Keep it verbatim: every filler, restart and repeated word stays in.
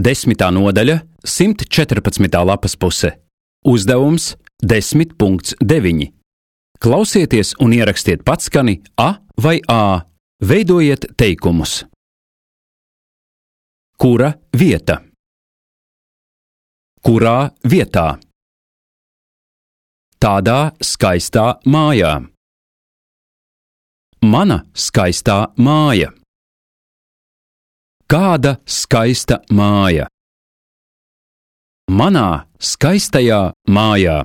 Desmitā nodaļa, simt četrpadsmitā lapas puse. Uzdevums desmit punkts deviņi. Klausieties un ierakstiet patskani A vai Ā. Veidojiet teikumus. Kura vieta? Kurā vietā? Tādā skaistā mājā. Mana skaistā māja. Kāda skaista māja? Manā skaistajā mājā.